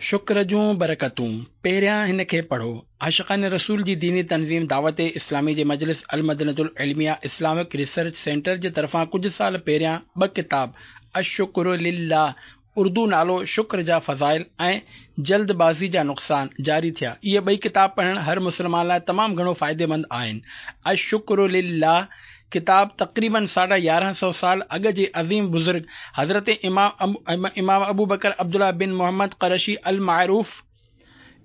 شڪر جون برڪتون، پهريان هن کي پڙهو. عاشقان رسول جي ديني تنظيم دعوت اسلامي جي مجلس المدنة العلميه اسلامڪ ريسرچ سينٽر جي طرفان ڪجهه سال پهريان ٻه ڪتاب الشڪر لله، اردو نالو شڪر جا فضائل، ۽ جلد بازي جا نقصان جاري ٿيا. اهي ٻئي ڪتاب پڙهڻ هر مسلمان لاء تمام گهڻو فائديمند آهن. الشڪر لله ڪتاب تقريباً ساڍا 11 سئو سال اڳ جي عظيم بزرگ حضرت امام امام ابوبڪر عبدالله بن محمد قرشي المعروف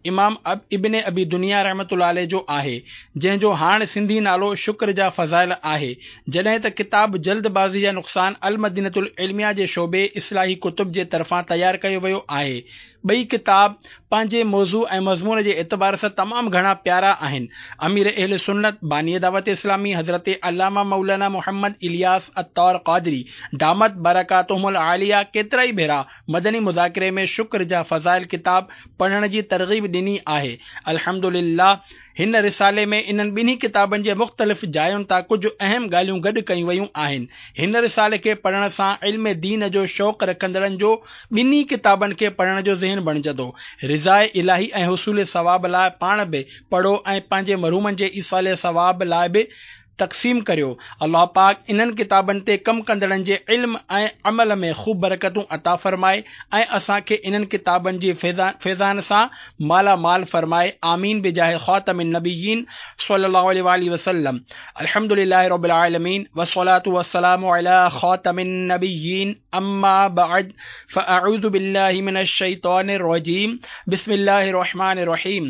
امام ابن ابي دنيا رحمة الله عليه جو آهي، جنهن جو هاڻ سنڌي نالو شڪر جا فضائل آهي. جڏهن ته ڪتاب جلد بازي جا نقصان المدينة العلميه جي شعبي اصلاحي ڪتب جي طرفان تيار ڪيو ويو آهي. ٻئي ڪتاب پنهنجي موضوع ۽ مضمون جي اعتبار سان تمام گهڻا پيارا آهن. امير اهل سنت، باني دعوت اسلامي حضرت علامه مولانا محمد الياس عطار قادري دامت برڪاتهم العاليه ڪيترائي ڀيرا مدني مذاڪري ۾ شڪر جا فضائل ڪتاب پڙهڻ جي ترغيب ڏني آهي. الحمدلله هن رسالي ۾ انهن ٻنهي ڪتابن جي مختلف جاين تان ڪجهه اهم ڳالهيون گڏ ڪيون ويون آهن. هن رسالي کي پڙهڻ سان علم دين جو شوق رکندڙن جو ٻنهي ڪتابن کي پڙهڻ جو ذهن بڻجندو. رضاء الاهي ۽ حصول ثواب لاء پاڻ به پڙهو ۽ پنهنجي مرحومن جي ايصال ثواب لاء به تقسيم ڪريو. الله پاڪ انهن ڪتابن تي ڪم ڪندڙن جي علم ۽ عمل ۾ خوب برڪتون عطا فرمائي ۽ اسان کي انهن ڪتابن جي فيضان سان مالا مال فرمائي آمين بجاه خاتم النبيين صلي الله عليه واله وسلم الحمد لله رب العالمين والصلاة والسلام علي خاتم النبيين اما بعد فاعوذ بالله من الشيطان الرجيم بسم الله الرحمن الرحيم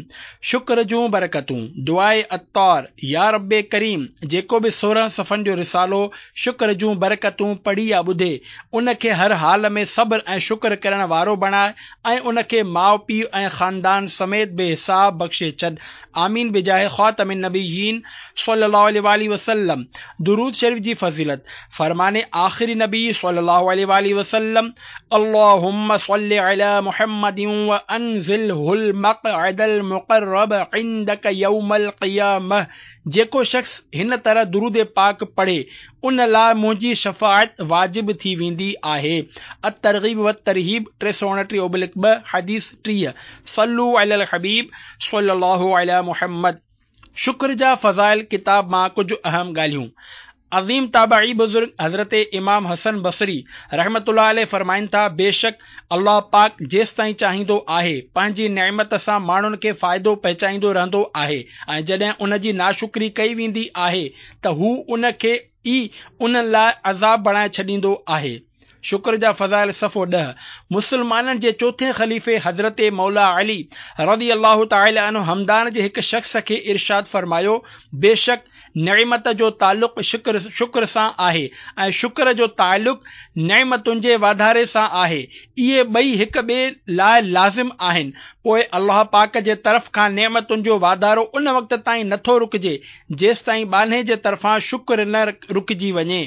شڪر جون برڪتون، دعاء عطار، يا رب ڪريم! جيڪو به 16 صفحن جو رسالو شڪر جون برڪتون پڙهي يا ٻڌي، ان کي هر حال ۾ صبر ۽ شڪر ڪرڻ وارو بڻاء ۽ ان کي ماء پيء ۽ خاندان سميت بي حساب بخشي ڇڏ. آمين بجاه خاتم النبيين صلي الله عليه واٰله وسلم. درود شريف جي فضيلت، فرمان آخري نبي صلي الله عليه واٰله وسلم، اللهم صل علي محمد وانزله المقعد المقرب عندك يوم القيامه جيڪو شخص هن طرح درود پاڪ پڙهي ان لاء منهنجي شفاعت واجب ٿي ويندي آهي الترغيب والترهيب 329/2 حديث 30 صلو علي الحبيب صلي الله علي محمد شڪر جا فضائل ڪتاب مان ڪجهه اهم ڳالهيون. عظيم تابعي بزرگ حضرت امام حسن بصري رحمة الله عليه فرمائن ٿا، بيشڪ الله پاڪ جيستائين چاهيندو آهي پنهنجي نعمت سان ماڻهن کي فائدو پهچائيندو رهندو آهي ۽ جڏهن ان جي ناشڪري ڪئي ويندي آهي ته هو ان کي ئي انهن لاء عذاب بڻائي ڇڏيندو آهي. شڪر جا فضائل صفحو 10، مسلمانن جي چوٿين خليفي حضرت مولا علي رضي الله تعالٰي عنه همدان جي هڪ شخص کي ارشاد فرمايو، بيشڪ نعمت جو تعلق شڪر شڪر سان آهي ۽ شڪر جو تعلق نعمتن جي واڌاري سان آهي، اهي ٻئي هڪ ٻئي لاء لازم آهن، پوء الله پاڪ جي طرف کان نعمتن جو واڌارو ان وقت تائين نٿو رڪجي جيستائين ٻانهي جي طرفان شڪر نه رڪجي وڃي.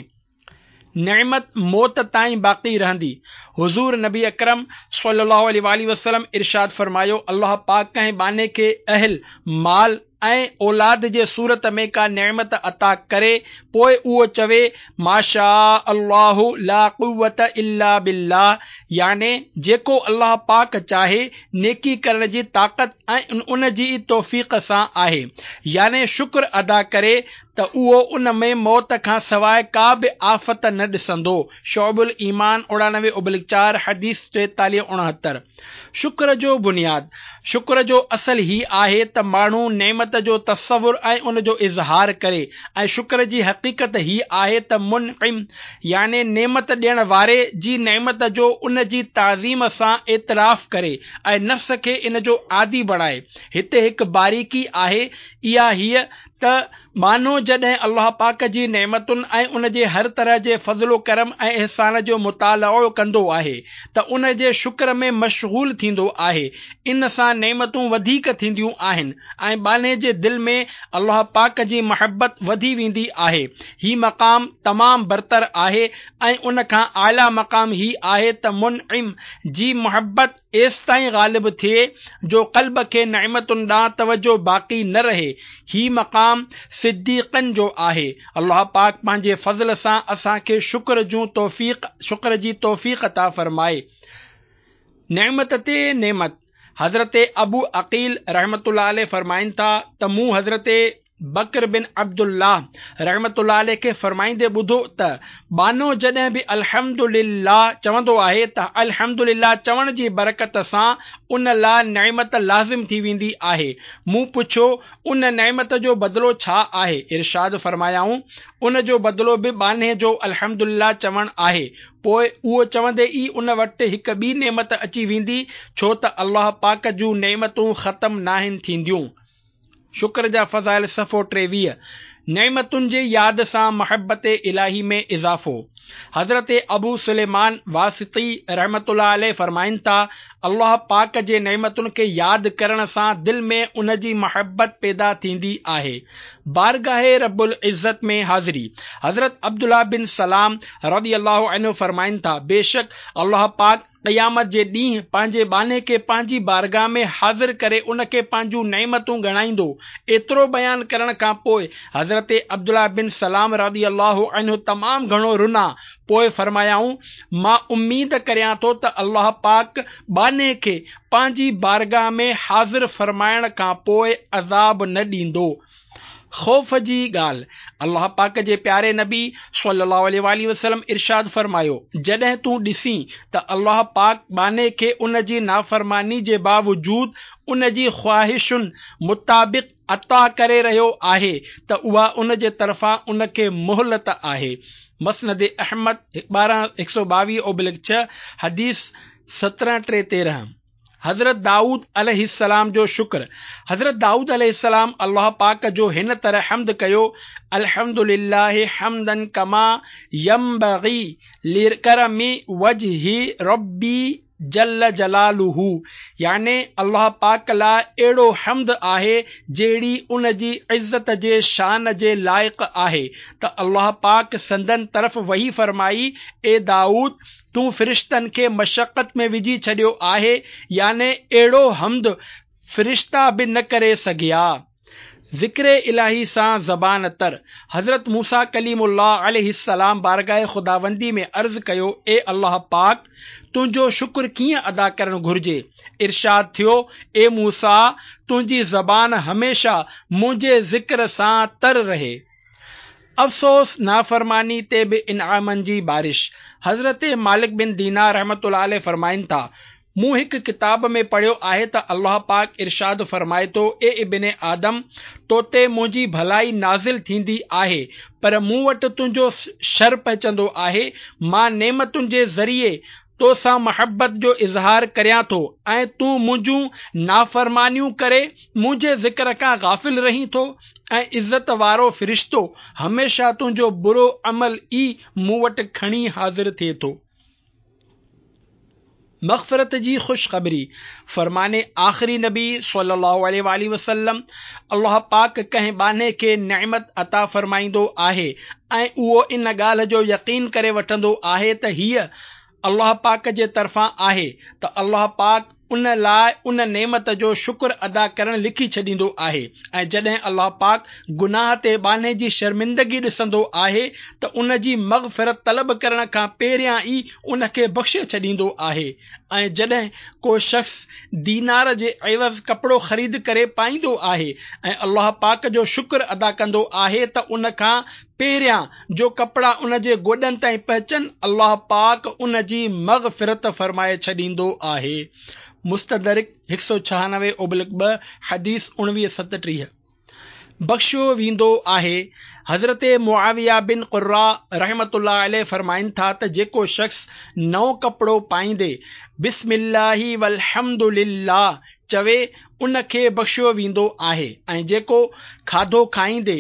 نعمت موت تائين باقي رهندي. حضور نبي اڪرم صلي الله عليه واٰله وسلم ارشاد فرمايو، الله پاڪ ڪنهن ٻانهي کي اهل، مال ۽ اولاد جي صورت ۾ ڪا نعمت عطا ڪري پوء اهو چوي ماشاء الله لا قوة الا بالله يعني جيڪو الله پاڪ چاهي نيڪي ڪرڻ جي طاقت ۽ ان جي ئي توفيق سان آهي يعني شڪر ادا ڪري ته اهو ان ۾ موت کان سواء ڪا به آفت نه ڏسندو، شعب الايمان 99/4 حديث 43 69. شڪر جو بنياد، شڪر جو اصل هي آهي ته ماڻهو نعمت جو تصور ۽ ان جو اظهار ڪري ۽ شڪر جي حقيقت هي آهي ته منعم يعني نعمت ڏيڻ واري جي نعمت جو ان جي تعظيم سان اعتراف ڪري ۽ نفس کي ان جو عادي بڻائي. هتي هڪ باريڪي آهي اها هيء ته ٻانهو جڏهن الله پاڪ جي نعمتن ۽ ان جي هر طرح جي فضل و ڪرم ۽ احسان جو مطالعو ڪندو آهي ته ان جي شڪر ۾ مشغول ٿيندو آهي ان سان نعمتون وڌيڪ ٿينديون آهن ۽ ٻانهي جي دل ۾ الله پاڪ جي محبت وڌي ويندي آهي هي مقام تمام برتر آهي ۽ ان کان اعليٰ مقام هي آهي ته منعم جي محبت ايستائين غالب ٿئي جو قلب کي نعمتن ڏانهن توجه باقي نه رهي. هي مقام صديقن جو آهي. الله پاڪ پنهنجي فضل سان اسان کي شڪر جون توفيق شڪر جي توفيق عطا فرمائي. نعمت تي نعمت. حضرت ابو عقيل رحمة الله عليه فرمائن ٿا ته مون حضرت بڪر بن عبدالله رحمة الله عليه کي فرمائيندي ٻڌو ته ٻانهو جڏهن به الحمد لله چوندو آهي ته الحمد لله چوڻ جي برڪت سان ان لاء نعمت لازم ٿي ويندي آهي. مون پڇيو، ان نعمت جو بدلو ڇا آهي؟ ارشاد فرمايائون، ان جو بدلو به ٻانهي جو الحمد لله چوڻ آهي. پوء اهو چوندي ئي ان وٽ هڪ ٻي نعمت اچي ويندي، ڇو ته الله پاڪ جون نعمتون ختم ناهن ٿينديون. شڪر جا فضائل صفحو 23، نعمتن جي ياد سان محبت الاهي ۾ اضافو. حضرت ابو سليمان واسطي رحمة الله عليه فرمائن ٿا، الله پاڪ جي نعمتن کي ياد ڪرڻ سان دل ۾ ان جي محبت پيدا ٿيندي آهي. بارگاھ رب العزت ۾ حاضري. حضرت عبدالله بن سلام رضي الله عنه فرمائن ٿا، بيشڪ الله پاڪ قيامت جي ڏينهن پنهنجي ٻانهي کي پنهنجي بارگاهه ۾ حاضر ڪري ان کي پنهنجون نعمتون ڳڻائيندو. ايترو بيان ڪرڻ کان پوء حضرت عبدالله بن سلام رضي الله عنه تمام گهڻو رنا، پوء فرمايائون، مان اميد ڪريان ٿو ته الله پاڪ ٻانهي کي پنهنجي بارگاهه ۾ حاضر فرمائڻ کان پوء عذاب نه ڏيندو. خوف جي ڳالهه، الله پاڪ جي پياري نبي صلّي الله عليه واٰله وسلّم ارشاد فرمايو، جڏهن تون ڏسين ته الله پاڪ ٻانهي کي ان جي نافرماني جي باوجود ان جي خواهشن مطابق عطا ڪري رهيو آهي ته اها ان جي طرفان ان کي مهلت آهي. مسند احمد 12 122/6 حديث 17 3 13. حضرت دائود عليه السلام جو شڪر، حضرت دائود عليه السلام الله پاڪ جو هن طرح حمد ڪيو، الحمد لله حمدا ڪما ينبغي لڪرم وجه ربي جل جلاله يعني الله پاڪ لاء اهڙو حمد آهي جهڙي ان جي عزت جي شان جي لائق آهي ته الله پاڪ سندن طرف وحي فرمائي، اي دائود! تون فرشتن کي مشقت ۾ وجهي ڇڏيو آهي يعني اهڙو حمد فرشتا به نه ڪري سگهيا. ذڪر الاهي سان زبان تر. حضرت موسيٰ ڪليم الله عليه السلام بارگاھ خداوندي ۾ عرض ڪيو، اي الله پاڪ! تنهنجو شڪر ڪيئن ادا ڪرڻ گهرجي؟ ارشاد ٿيو، اي موسيٰ! تنهنجي زبان هميشه منهنجي ذڪر سان تر رهي. افسوس نافرماني تي به انعامن جي بارش. حضرت مالڪ بن دينار رحمة الله عليه فرمائن ٿا، مون هڪ ڪتاب ۾ پڙهيو آهي ته الله پاڪ ارشاد فرمائي ٿو، اي ابن آدم! تو تي منهنجي ڀلائي نازل ٿيندي آهي، پر مون وٽ تنهنجو شر پهچندو آهي، مان نعمتن جي ذريعي تو سان محبت جو اظهار ڪريان ٿو ۽ تون منهنجون نافرمانيون ڪري منهنجي ذڪر کان غافل رهين ٿو ۽ عزت وارو فرشتو هميشه تنهنجو برو عمل ئي مون وٽ کڻي حاضر ٿئي ٿو. مغفرت جي خوشخبري، فرمان آخري نبي صلي الله عليه واٰله وسلم، الله پاڪ ڪنهن ٻانهي کي نعمت عطا فرمائيندو آهي ۽ اهو ان ڳالهه جو يقين ڪري وٺندو آهي ته هيء الله پاڪ جي طرفان آهي ته الله پاڪ ان لاء ان نعمت جو شڪر ادا ڪرڻ لکي ڇڏيندو آهي ۽ جڏهن الله پاڪ گناهه تي ٻانهي جي شرمندگي ڏسندو آهي ته ان جي مغفرت طلب ڪرڻ کان پهريان ئي ان کي بخشي ڇڏيندو آهي ۽ جڏهن ڪو شخص دينار جي عيوض ڪپڙو خريد ڪري پائيندو آهي ۽ الله پاڪ جو شڪر ادا ڪندو آهي ته ان کان پهريان جو ڪپڙا ان جي گوڏن تائين پهچن الله پاڪ ان جي مغفرت فرمائي ڇڏيندو آهي. مستدرڪ 196/2 حديث 19 37. بخشيو ويندو آهي. حضرت معاويه بن قره رحمة الله عليه فرمائن ٿا ته جيڪو شخص نئون ڪپڙو پائيندي بسم الله والحمد لله چوي ان کي بخشيو ويندو آهي ۽ جيڪو کاڌو کائيندي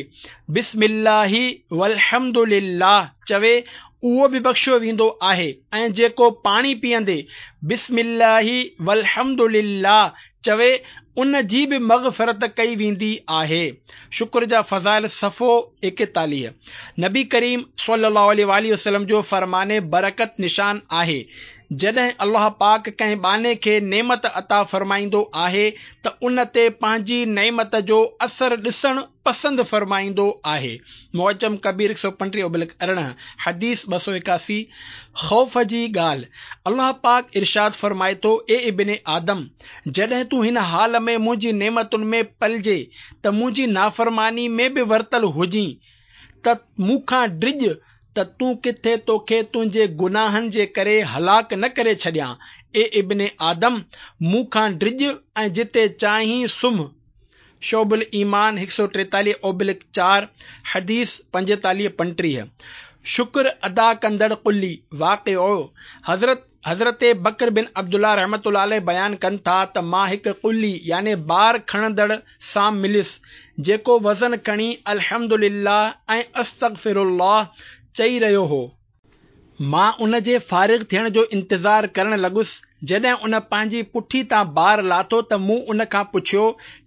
بسم الله والحمد لله چوي اهو به بخشيو ويندو آهي ۽ جيڪو پاڻي پيئندي بسم الله والحمد لله چوي ان جي به مغفرت ڪئي ويندي آهي. شڪر جا فضائل صفحو 41. نبي ڪريم صلي الله عليه واٰله وسلم جو فرمان برڪت نشان آهي. جڏهن الله پاڪ ڪنهن ٻانهي کي نعمت عطا فرمائيندو آهي ته ان تي پنهنجي نعمت جو اثر ڏسڻ پسند فرمائيندو آهي. معجم ڪبير 135 ابلڪ 18، حديث 281، خوف جي ڳالهه، الله پاڪ ارشاد فرمائي ٿو، اي ابن آدم! جڏهن تون هن حال ۾ منهنجي نعمتن ۾ پلجي ته منهنجي نافرماني ۾ به ورتل هجين ته مون کان ڊڄ ته تون ڪٿي توکي تنهنجي گناهن جي ڪري هلاڪ نه ڪري ڇڏيان. اي ابن آدم! مون کان ڊڄ ۽ جتي چاهين سمهه. شعب الايمان 143 اوبلڪ 4، حديث 45 35. شڪر ادا ڪندڙ قلي، واقعو، حضرت حضرت بڪر بن عبدالله رحمة الله عليه بيان ڪن ٿا ته مان هڪ قلي يعني بار کڻندڙ سان مليس جيڪو وزن کڻي الحمد لله ۽ استغفر الله چئي رهيو هو. مان ان جي فارغ ٿيڻ جو انتظار ڪرڻ لڳس، جڏهن ان پنهنجي پٺي تان بار لاٿو ته مون ان کان پڇيو،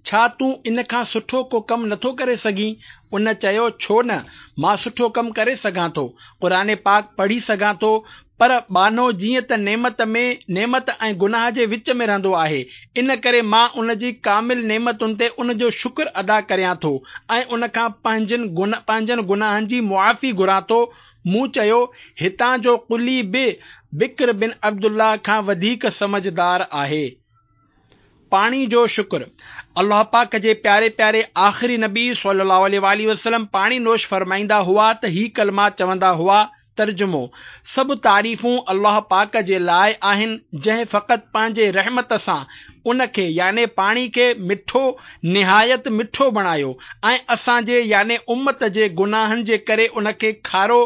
ڇا تون ان کان سٺو ڪو ڪم نٿو ڪري سگهين؟ ان چيو، ڇو نه، مان سٺو ڪم ڪري سگهان ٿو، قرآن پاڪ پڙهي سگهان ٿو، پر ٻانهو جيئن ته نعمت ۾ نعمت ۽ گناهه جي وچ ۾ رهندو آهي، ان ڪري مان ان جي ڪامل نعمتن تي ان جو شڪر ادا ڪريان ٿو ۽ ان کان پنهنجن پنهنجن گناهن جي معافي گهران ٿو. مون چيو، هتان جو قلي به بڪر بن عبدالله کان وڌيڪ سمجهدار آهي. پاڻي جو شڪر، الله پاڪ جي پياري پياري آخري نبي صلّي الله عليه واٰله وسلّم پاڻي نوش فرمائيندا هئا ته هي ڪلما چوندا هئا، ترجمو، سڀ تعريفون الله پاڪ جي لاء آهن جنهن فقط پنهنجي رحمت سان ان کي، يعني پاڻي کي، مٺو، نهايت مٺو بڻايو ۽ اسان جي، يعني امّت جي، گناهن جي ڪري ان کي کارو،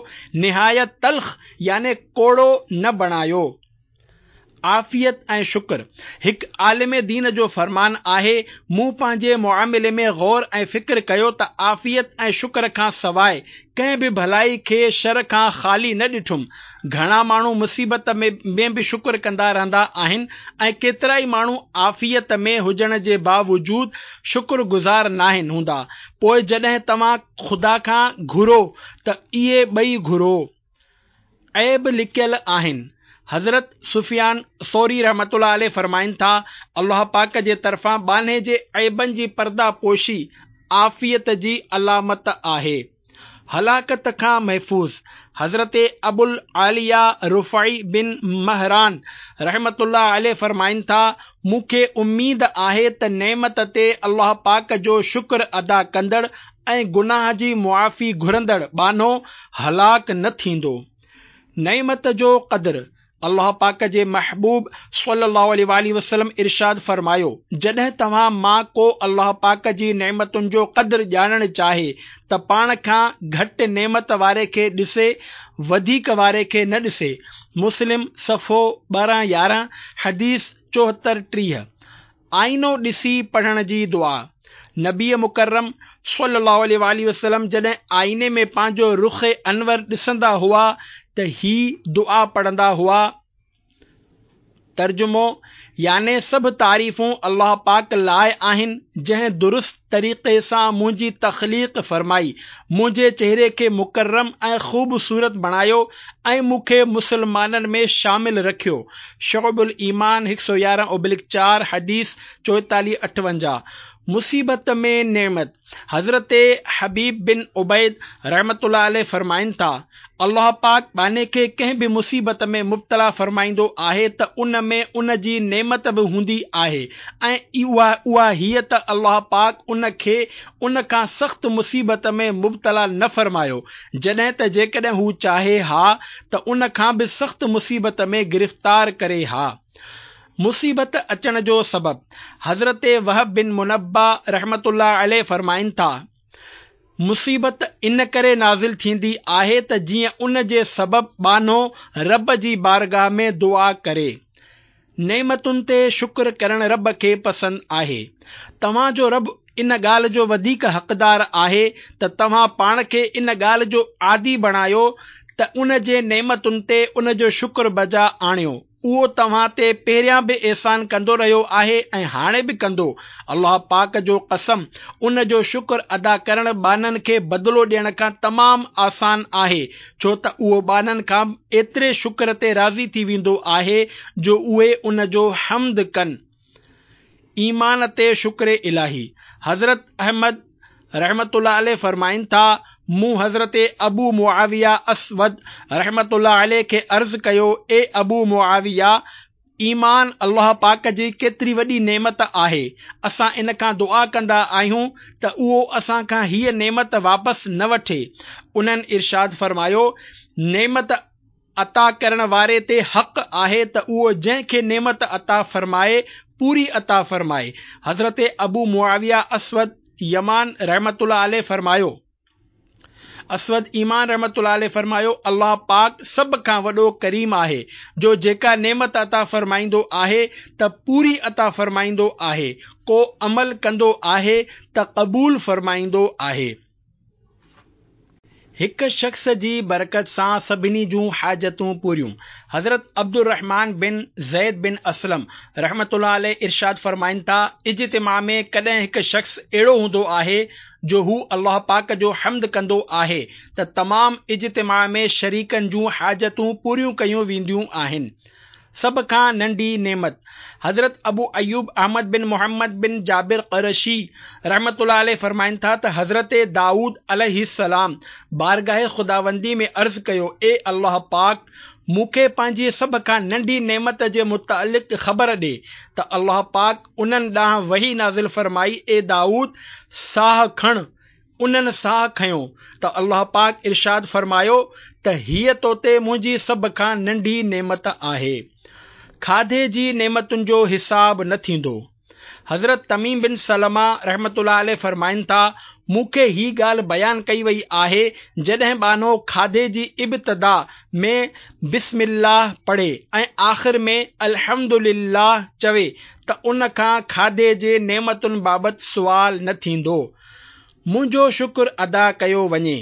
نهايت تلخ، يعني ڪوڙو، نه بڻايو. عافيت ۽ شڪر، هڪ عالم دين جو فرمان آهي، مون پنهنجي معاملي ۾ غور ۽ فڪر ڪيو ته عافيت ۽ شڪر کان سواء ڪنهن به ڀلائي کي شر کان خالي نه ڏٺم. گهڻا ماڻهو مصيبت ۾ به شڪر ڪندا رهندا آهن ۽ ڪيترائي ماڻهو عافيت ۾ هجڻ جي باوجود شڪر گذار ناهن هوندا، پوء جڏهن توهان خدا کان گهرو ته اهي ٻئي گهرو. عيب لڪيل آهن. حضرت سفيان ثوري رحمة الله عليه فرمائن ٿا، الله پاڪ جي طرفان ٻانهي جي عيبن جي پرده پوشي عافيت جي علامت آهي. هلاڪت کان محفوظ، حضرت ابوالعاليه رفاعي بن مهران رحمة الله عليه فرمائن ٿا، مون کي اميد آهي ته نعمت تي الله پاڪ جو شڪر ادا ڪندڙ ۽ گناهه جي معافي گهرندڙ ٻانهو هلاڪ نه ٿيندو. نعمت جو قدر، الله پاڪ جي محبوب صلّي الله عليه واٰله وسلّم ارشاد فرمايو، جڏهن توهان مان ڪو الله پاڪ جي نعمتن جو قدر ڄاڻڻ چاهي ته پاڻ کان گهٽ نعمت واري کي ڏسي وڌيڪ واري کي نه ڏسي. مسلم، صفحو 12 11، حديث 74 30. آئينو ڏسي پڙهڻ جي دعا، نبي مڪرم صلّي الله عليه واٰله وسلّم جڏهن آئيني ۾ پنهنجو رخ انور ڏسندا هئا ته هي دعا پڙهندا هئا، ترجمو، يعني سڀ تعريفون الله پاڪ لاء آهن جنهن درست طريقي سان منهنجي تخليق فرمائي، منهنجي چهري کي مڪرم ۽ خوبصورت بڻايو ۽ مون کي مسلمانن ۾ شامل رکيو. شعب الايمان هڪ سؤ يارهن اوبلڪ چار، حديث چوئيتاليهه اٺونجاهه. مصيبت ۾ نعمت، حضرت حبيب بن عبيد رحمة الله عليه فرمائن ٿا، الله پاڪ ٻانهي کي ڪنهن به مصيبت ۾ مبتلا فرمائيندو آهي ته ان ۾ ان جي نعمت به هوندي آهي ۽ اها اها هيء ته الله پاڪ ان کي ان کان سخت مصيبت ۾ مبتلا نه فرمايو جڏهن ته جيڪڏهن هو چاهي ها ته ان کان به سخت مصيبت ۾ گرفتار ڪري ها. مصيبت اچڻ جو سبب، حضرت وهب بن منبه رحمة الله عليه فرمائن ٿا، مصيبت ان ڪري نازل ٿيندي آهي ته جيئن ان جي سبب ٻانهو رب جي بارگاهه ۾ دعا ڪري. نعمتن تي شڪر ڪرڻ رب کي پسند آهي. توهان جو رب ان ڳالهه جو وڌيڪ حقدار آهي ته توهان پاڻ کي ان ڳالهه جو عادي بڻايو ته ان جي نعمتن تي ان جو شڪر بجا آڻيو. اهو توهان تي پهريان به احسان ڪندو رهيو آهي ۽ هاڻي به ڪندو. الله پاڪ جو قسم! ان جو شڪر ادا ڪرڻ ٻانهن کي بدلو ڏيڻ کان تمام آسان آهي، ڇو ته اهو ٻانهن کان ايتري شڪر تي راضي ٿي ويندو آهي جو اهي ان جو حمد ڪن. ايمان تي شڪر الاهي. حضرت احمد رحمة الله عليه فرمائن ٿا، مون حضرت ابو معاويه اسود رحمة الله عليه کي عرض ڪيو، اي ابو معاويه! ايمان الله پاڪ جي ڪيتري وڏي نعمت آهي، اسان ان کان دعا ڪندا آهيون ته اهو اسان کان هيء نعمت واپس نه وٺي. انهن ارشاد فرمايو، نعمت عطا ڪرڻ واري تي حق آهي ته اهو جنهن کي نعمت عطا فرمائي پوري عطا فرمائي. حضرت ابو معاويه اسود يمان رحمة الله عليه فرمايو. اسود ايمان رحمة الله عليه فرمايو، الله پاڪ سڀ کان وڏو ڪريم آهي جو جيڪا نعمت عطا فرمائيندو آهي ته پوري عطا فرمائيندو آهي، ڪو عمل ڪندو آهي ته قبول فرمائيندو آهي. هڪ شخص جي برڪت سان سڀني جون حاجتون پوريون. حضرت عبدالرحمان بن زيد بن اسلم رحمة الله عليه ارشاد فرمائن ٿا، اجتماع ۾ ڪڏهن هڪ شخص اهڙو هوندو آهي جو هو الله پاڪ جو حمد ڪندو آهي ته تمام اجتماع ۾ شريڪن جون حاجتون پوريون ڪيون وينديون آهن. سڀ کان ننڍي نعمت. حضرت ابو ايوب احمد بن محمد بن جابر قرشي رحمة الله عليه فرمائن ٿا ته حضرت دائود عليه السلام بارگاهه خداوندي ۾ عرض ڪيو، اي الله پاڪ! مون کي پنهنجي سڀ کان ننڍي نعمت جي متعلق خبر ڏي ته الله پاڪ انهن ڏانهن وحي نازل فرمائي، اي دائود! ساهه کڻ انهن ساهه کنيو ته الله پاڪ ارشاد فرمايو ته هيء تو تي منهنجي سڀ کان ننڍي نعمت آهي. کاڌي جي نعمتن جو حساب نه ٿيندو. حضرت تميم بن سلمه رحمة الله عليه فرمائن ٿا، مون کي هي ڳالهه بيان ڪئي وئي آهي، جڏهن ٻانهو کاڌي جي ابتدا ۾ بسم الله پڙهي ۽ آخر ۾ الحمد لله چوي ته ان کان کاڌي جي نعمتن بابت سوال نه ٿيندو. منهنجو شڪر ادا ڪيو وڃي.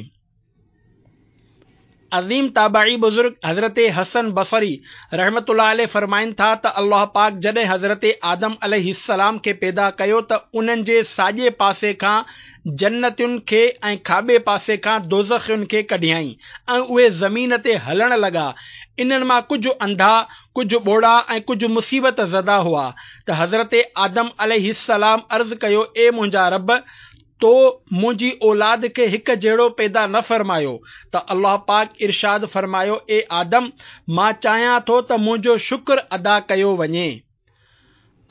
عظيم تابعي بزرگ حضرت حسن بصري رحمة الله عليه فرمائن ٿا ته الله پاڪ جڏهن حضرت آدم عليه السلام کي پيدا ڪيو ته انهن جي ساڄي پاسي کان جنتين کي ۽ کاٻي پاسي کان دوزخين کي ڪڍيائين ۽ اهي زمين تي هلڻ لڳا انهن مان ڪجهه انڌا ڪجهه ٻوڙا ۽ ڪجهه مصيبت زده هئا ته حضرت آدم عليه السلام عرض ڪيو اي منهنجا رب! تو منهنجي اولاد کي هڪ جهڙو پيدا نه فرمايو ته الله پاڪ ارشاد فرمايو اي آدم! مان چاهيان ٿو ته منهنجو شڪر ادا ڪيو وڃي.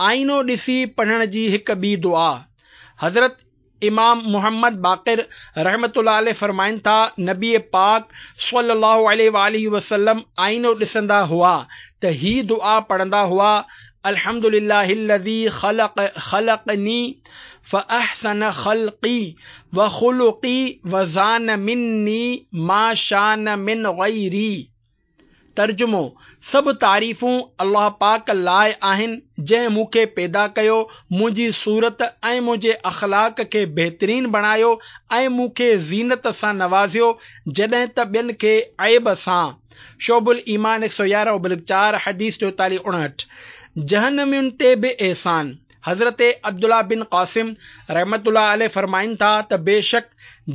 آئينو ڏسي پڙهڻ جي هڪ ٻي دعا حضرت امام محمد باقر رحمة الله عليه فرمائن ٿا، نبي پاڪ صلّي الله عليه واٰله وسلّم آئينو ڏسندا هئا ته هي دعا پڙهندا هئا، الحمد لله الذي خلق خلقني فاحسن خلقي وخلقي وزان مني ما شان من غيري. ترجمو، سڀ تعريفون الله پاڪ لاء آهن جنهن مون کي پيدا ڪيو، منهنجي صورت ۽ منهنجي اخلاق کي بهترين بڻايو ۽ مون کي زينت سان نوازيو جڏهن ته ٻين کي عيب سان. شعب الايمان 111 ابلغ 4 حديث 43 59. جهنمين تي به احسان. حضرت عبدالله بن قاسم رحمة الله عليه فرمائن ٿا ته بيشڪ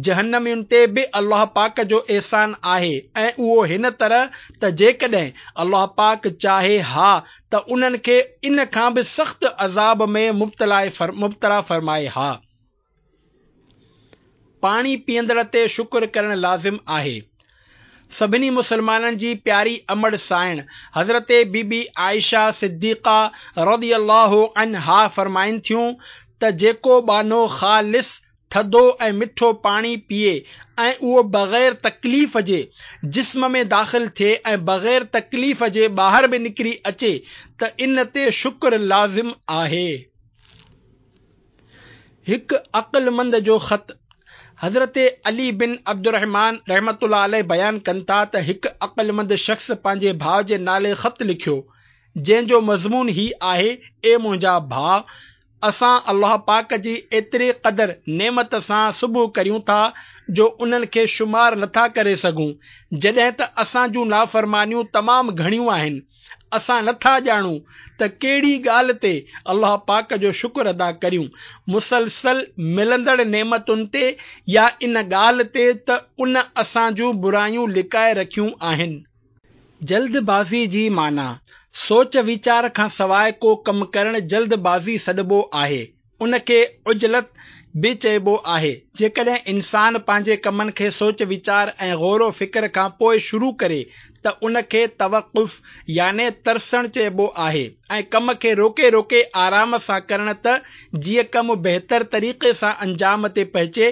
جهنمين تي به الله پاڪ جو احسان آهي ۽ اهو هن طرح ته جيڪڏهن الله پاڪ چاهي ها ته انهن کي ان کان به سخت عذاب ۾ مبتلا فرمائي ها. پاڻي پيئندڙ تي شڪر ڪرڻ لازم آهي. سڀني مسلمانن جي پياري امڙ سانئڻ حضرت بي بي عائشه صديقه رضي الله عنها فرمائن ٿيون ته جيڪو ٻانهو خالص ٿڌو ۽ مٺو پاڻي پيئي ۽ اهو بغير تڪليف جي جسم ۾ داخل ٿئي ۽ بغير تڪليف جي ٻاهر به نڪري اچي ته ان تي شڪر لازم آهي. هڪ عقلمند جو خط، حضرت علي بن عبدالرحمان رحمة الله عليه بيان ڪن ٿا ته هڪ عقلمند شخص پنهنجي ڀاء جي نالي خط لکيو، جنهن جو مضمون هي آهي، اي منهنجا ڀاء! اسان الله پاڪ جي ايتري قدر نعمت سان صبح ڪريون ٿا جو انهن کي شمار نٿا ڪري سگهون، جڏهن ته اسان جون نافرمانيون تمام گهڻيون آهن. اسان نه ٿا ڄاڻون ته ڪهڙي ڳالهه تي الله پاڪ جو شڪر ادا ڪريون، مسلسل ملندڙ نعمتن تي يا ان ڳالهه تي ته ان اسان جون برايون لڪائي رکيون آهن. جلد بازي جي معنيٰ، سوچ ويچار کان سواء ڪو ڪم ڪرڻ جلد بازي سڏبو آهي. ان کي عجلت به چئبو آهي. جيڪڏهن انسان پنهنجي ڪمن کي سوچ ويچار ۽ غور و فڪر کان پوء شروع ڪري ته ان کي توقف يعني ترسڻ چئبو آهي ۽ ڪم کي روڪي روڪي آرام سان ڪرڻ ته جيئن ڪم بهتر طريقي سان انجام تي پهچي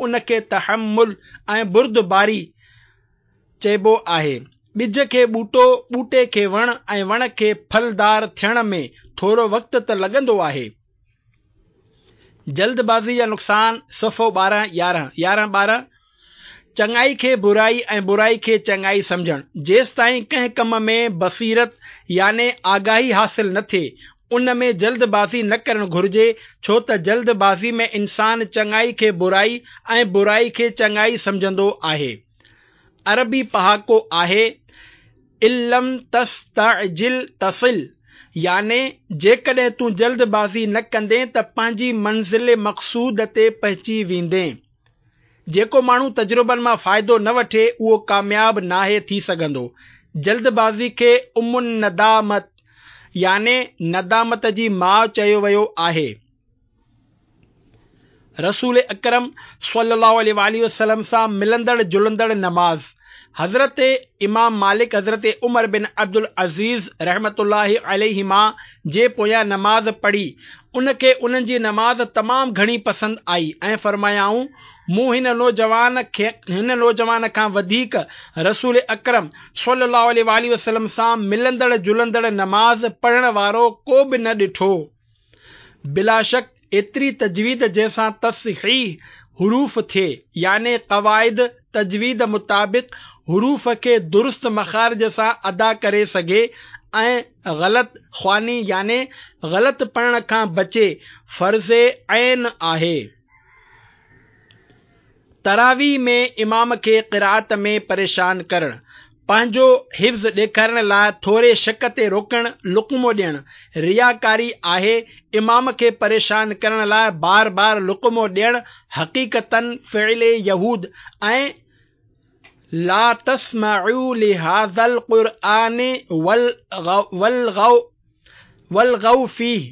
ان کي تحمل ۽ بردباري چئبو آهي. ٻج کي ٻوٽو، ٻوٽي کي وڻ ۽ وڻ کي ڦلدار ٿيڻ ۾ ٿورو وقت ته لڳندو آهي. جلد بازي جا نقصان، صفحو 12 11 11 12 چڱائي کي برائي ۽ برائي کي چڱائي سمجهڻ، جيستائين ڪنهن ڪم ۾ بصيرت يعني آگاهي حاصل نه ٿئي، ان ۾ جلد بازي نه ڪرڻ گهرجي، ڇو ته جلد بازي ۾ انسان چڱائي کي برائي ۽ برائي کي چڱائي سمجهندو آهي. عربي پهاڪو آهي، ان لم تستعجل تصل يعني جيڪڏهن تون جلد بازي نه ڪندين ته پنهنجي منزل مقصود تي پهچي ويندين. جيڪو ماڻهو تجربن مان فائدو نه وٺي اهو ڪامياب ناهي ٿي سگهندو. جلد بازي کي ام الندامت يعني ندامت جي ماء چيو ويو آهي. رسول اڪرم صلي الله عليه واٰله وسلم سان ملندڙ جلندڙ نماز حضرت امام مالڪ حضرت عمر بن عبدالعزيز رحمة الله عليهما جي پويان نماز پڙهي ان کي انهن جي نماز تمام گهڻي پسند آئي ۽ فرمايائون مون هن نوجوان کي هن نوجوان کان وڌيڪ رسول اڪرم صلي الله عليه واٰله وسلم سان ملندڙ جلندڙ نماز پڙهڻ وارو ڪو به نه ڏٺو. بلاشڪ ايتري تجويد جنهن سان تصحيح حروف ٿئي يعني قواعد تجويد مطابق حروف کي درست مخارج سان ادا ڪري سگهي ۽ غلط خواني يعني غلط پڙهڻ کان بچي فرض عين آهي. تراويح ۾ امام کي قرائت ۾ پريشان ڪرڻ، پنهنجو حفظ ڏيکارڻ لاء ٿوري شڪ تي روڪڻ، لقمو ڏيڻ، رياڪاري آهي، امام کي پريشان ڪرڻ لاء بار بار لقمو ڏيڻ حقيقتاً فعل يهود ۽ لا تسمعوا لهذا القرآن والغوا فيه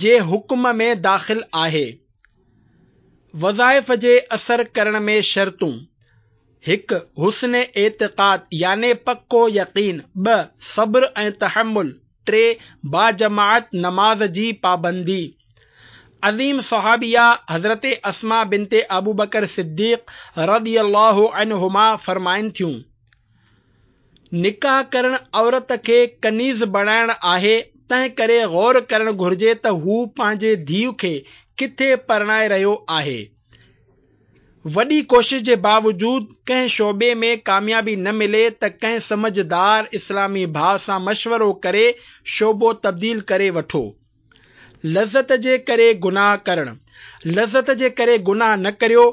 جي حڪم ۾ داخل آهي. وظائف جي اثر ڪرڻ ۾ شرطون، هڪ. حسن اعتقاد يعني پڪو يقين 2. صبر ۽ تحمل 3. باجماعت نماز جي پابندي عظيم صحابيه حضرت اسماء بنت ابوبڪر صديق رضي الله عنهما فرمائن ٿيون، نڪاح ڪرڻ عورت کي ڪنيز بڻائڻ آهي، تنهن ڪري غور ڪرڻ گهرجي ته هو پنهنجي ڌيء کي ڪٿي پرڻائي رهيو آهي. وڏي ڪوشش جي باوجود ڪنهن شعبي ۾ ڪاميابي نه ملي ته ڪنهن سمجهدار اسلامي ڀاء سان مشورو ڪري شعبو تبديل ڪري وٺو. لذت جي ڪري گناهه ڪرڻ. لذت جي ڪري گناهه نه ڪريو،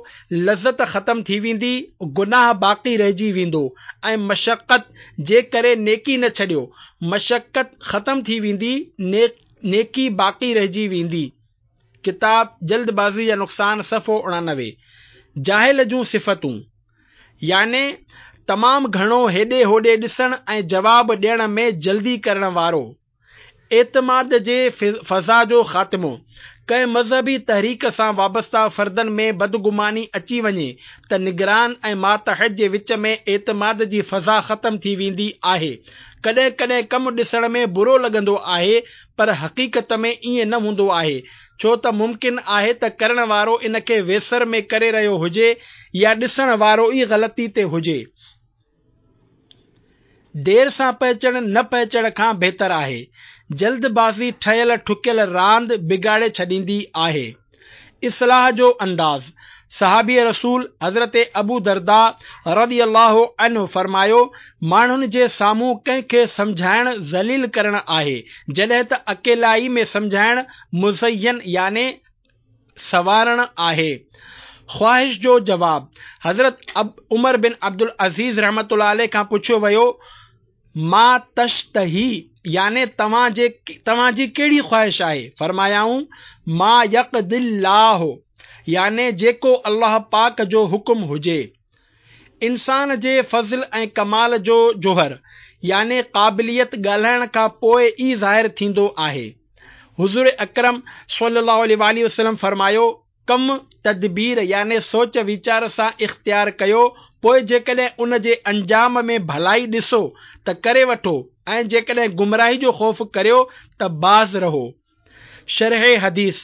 لذت ختم ٿي ويندي، گناهه باقي رهجي ويندو ۽ مشقت جي ڪري نيڪي نه ڇڏيو، مشقت ختم ٿي ويندي، نيڪي باقي رهجي ويندي. ڪتاب جلد بازي جا نقصان صفحو 89. جاهل جون صفتون، يعني تمام گهڻو هيڏي هوڏي ڏسڻ ۽ جواب ڏيڻ ۾ جلدي ڪرڻ وارو. اعتماد جي فضا جو خاتمو، ڪنهن مذهبي تحريڪ سان وابسته فردن ۾ بدگماني اچي وڃي ته نگران ۽ ماتحت جي وچ ۾ اعتماد جي فضا ختم ٿي ويندي آهي. ڪڏهن ڪڏهن ڪم ڏسڻ ۾ برو لڳندو آهي پر حقيقت ۾ ائين نه هوندو آهي ڇو ته ممڪن آهي ته ڪرڻ وارو ان کي ويسر ۾ ڪري رهيو هجي يا ڏسڻ وارو ئي غلطي تي هجي. دير سان پهچڻ نه پهچڻ کان بهتر آهي. جلد بازي ٺهيل ٺڪيل راند بگاڙي ڇڏيندي آهي. اصلاح جو انداز، صحابي رسول حضرت ابو درداء رضي الله عنه فرمايو، ماڻهن جي سامهون ڪنهن کي سمجهائڻ ذليل ڪرڻ آهي، جڏهن ته اڪيلائي ۾ سمجهائڻ مزين يعني سنوارڻ آهي. خواهش جو جواب، حضرت عمر بن عبدالعزيز رحمة الله عليه کان پڇيو ويو، ما تشتهي؟ يعني توهان جي توهان جي ڪهڙي خواهش آهي؟ فرمايائون، ما يقضي الله يعني جيڪو الله پاڪ جو حڪم هجي. انسان جي فضل ۽ ڪمال جو جوهر يعني قابليت ڳالهائڻ کان پوء ئي ظاهر ٿيندو آهي. حضور اڪرم صلي الله عليه واٰله وسلم فرمايو، ڪم تدبير يعني سوچ ويچار سان اختيار ڪيو پوء جيڪڏهن ان جي انجام ۾ ڀلائي ڏسو ته ڪري وٺو ۽ جيڪڏهن گمراهي جو خوف ڪريو ته باز رهو. شرح حديث،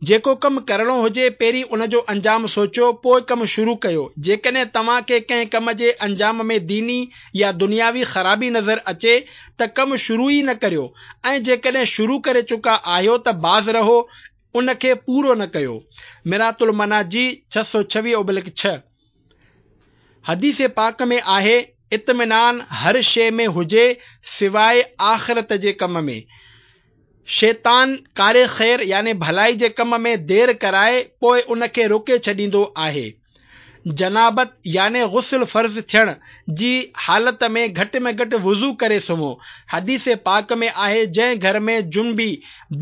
جيڪو ڪم ڪرڻو هجي پهرين ان جو انجام سوچيو پوء ڪم شروع ڪيو جيڪڏهن توهان کي ڪنهن ڪم جي انجام ۾ ديني يا دنياوي خرابي نظر اچي ته ڪم شروع ئي نه ڪريو ۽ جيڪڏهن شروع ڪري چڪا آهيو ته باز رهو ان کي پورو نه ڪيو. مرات المناجي 626 اوبلڪ 6. حديث پاڪ ۾ آهي، اطمينان هر شيء ۾ هجي سواء آخرت جي ڪم ۾. شيطان ڪار خير يعني ڀلائي جي ڪم ۾ دير ڪرائي پوء ان کي روڪي ڇڏيندو آهي. جنابت يعني غسل فرض ٿيڻ جي حالت ۾ گهٽ ۾ گهٽ وضو ڪري سمهو. حديث پاڪ ۾ آهي جنهن گهر ۾ جنبي،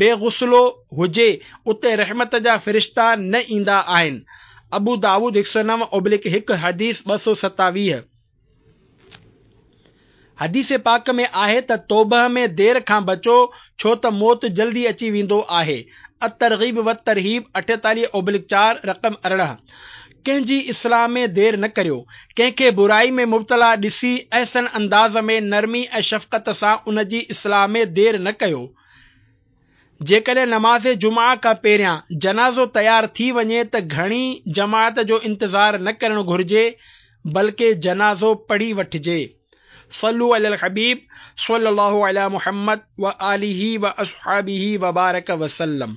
بي غسلو، هجي اتي رحمت جا فرشتا نه ايندا آهن. ابو داؤد 109 اوبلڪ 1 حديث 227. حديث پاڪ ۾ آهي ته توبهه ۾ دير کان بچو ڇو ته موت جلدي اچي ويندو آهي. الترغيب والترهيب 48 اوبلڪ 4 رقم 18. ڪنهن جي اصلاح ۾ دير نه ڪريو. ڪنهن کي برائي ۾ مبتلا ڏسي احسن انداز ۾ نرمي ۽ شفقت سان ان جي اصلاح ۾ دير نه ڪيو. جيڪڏهن نماز جمعه کان پهريان جنازو تيار ٿي وڃي ته گهڻي جماعت جو انتظار نه ڪرڻ گهرجي بلڪه جنازو پڙهي وٺجي. صلو علي الحبيب صلي الله علي محمد وآله واصحابه وبارڪ وسلم.